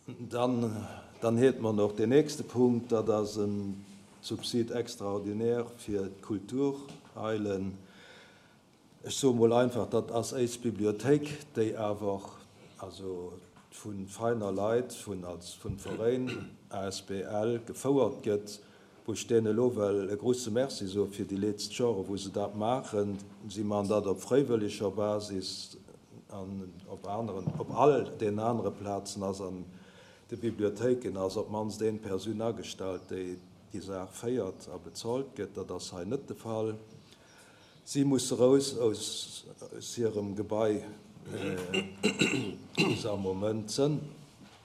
Dann, dann hiert mer noch deen nächste Punkt, dat ass e Subsid extraordinaire fir d'Kultureilen. Ech soe mol einfach, dat ass éis Bibliothéik, déi awer also vu feiner Leit, vun als vun Veréin asbl gefouert gëtt, wou ech deene elo well e grusse Merci soe fir déi leetzt Jore wou se dat maachen. Si man dat op fréiwëlleger Basis an op aneren, op all den anere Plazen ass an de Bibliothéiken ass op d'mannst een Persoun agestallt, déi déi Saach féiert a bezolt gëtt. Dat ass hei net de Fall. Si musse rous aus hirem Gebai, wou se am Moment sënn.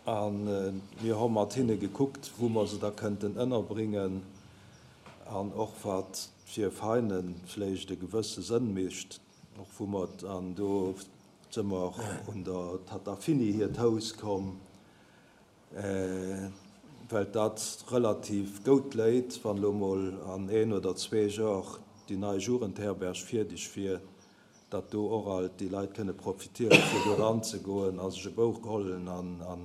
A mir hu mat hinne gekuckt, wou mer se da kënnten ënnerbringen an och wat fir Veine vläicht e gewësse Sënn mécht, och wou mer, an do si mer un der Tatta Fini hiert Haus komm, well dat relativ goud léit, wann elo mol an een oder zwee Jor déi nei Jugendherberg fierdeg wier, datt do och alt déi Leit kënne profitieren, fir do eranzegoen a sech e Bouch hollen an an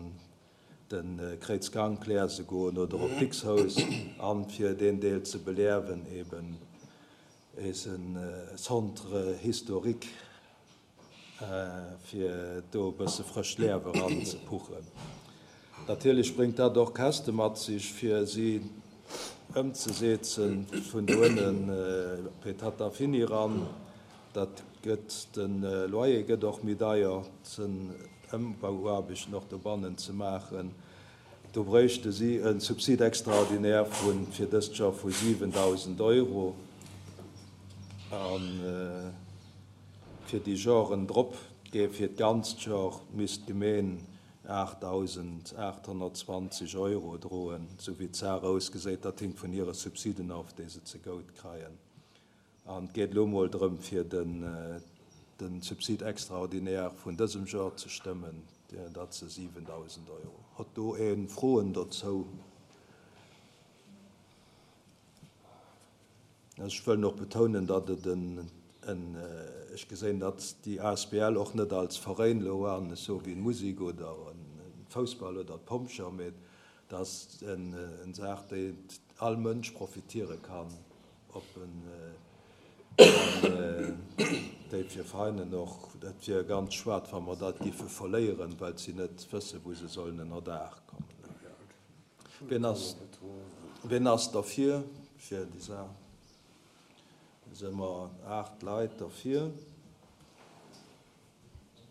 de Kréizgank lese goen oder op Dicks-Hous an fir deen Deel ze beleawen, eben eise Centre historique. fir do e bësse frëscht Leaf eran ze puchen. Natierlech bréngt dat och Käschte mat sech, fir si ëmzesetzen vun do ënnen Petata Fini eran. Dat gëtt, de Loyer gëtt och méi deier, den Ëmbauaarbechten och dobannen ze maachen. Do bréichte si e Subside extraordinaire vu fir dëst Joer vu 7.000 Euro. An Fir déi Joren drop, gee fir d'ganzt Jor, misst d'Gemeen 8.820 Euro droen, sou wéi d'Saach ausgeséit. Dat hinkt vun hire Subsiden of, déi se zegout kreien. An et geet elo mol drëm, fir de Subside extraordinaire vun dësem Jor ze stëmmen, dat se 7.000 Euro. Hott do ee Froen dozou? Ech wëll och betounen, datt et en, en, ech geséin datt déi asbl och net als Veräin elo an, ech soe wéi d'Musek oder en Foussball oder d'Pompjeeër, mee et ass en, en Saach, déi all Mënsch profitiere kann, op en, an déi fir Veräinen och, et wier ganz schued, wa mer dat géife verléieren, well si net wësse wou se sollen ënnerdaach kommen. Wien ass, wien ass derfir, fir déi Saach? Da si mer 8 Leit derfir.